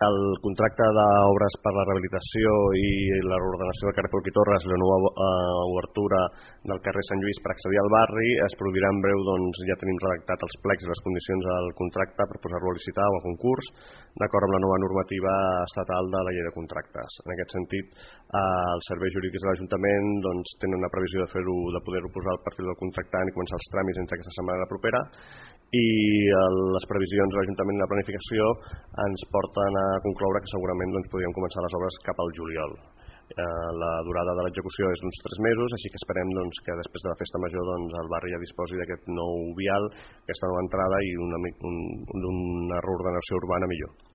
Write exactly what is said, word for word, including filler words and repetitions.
El contracte d'obres per la rehabilitació i la reordenació del carrer Folch i Torres i la nova obertura del carrer Sant Lluís per accedir al barri es produirà en breu. Doncs ja tenim redactat els plecs i les condicions del contracte per posar-lo a licitar o a concurs d'acord amb la nova normativa estatal de la llei de contractes. En aquest sentit, els serveis jurídics de l'Ajuntament doncs, tenen una previsió de fer-ho, de poder-ho posar al perfil del contractant i començar els tràmits entre aquesta setmana i la propera, i les previsions de l'Ajuntament i la planificació ens porten a concloure que segurament doncs, podríem començar les obres cap al juliol. La durada de l'execució és d'uns tres mesos, així que esperem doncs, que després de la festa major doncs, el barri ja disposi d'aquest nou vial, aquesta nova entrada i una, un, una reordenació urbana millor.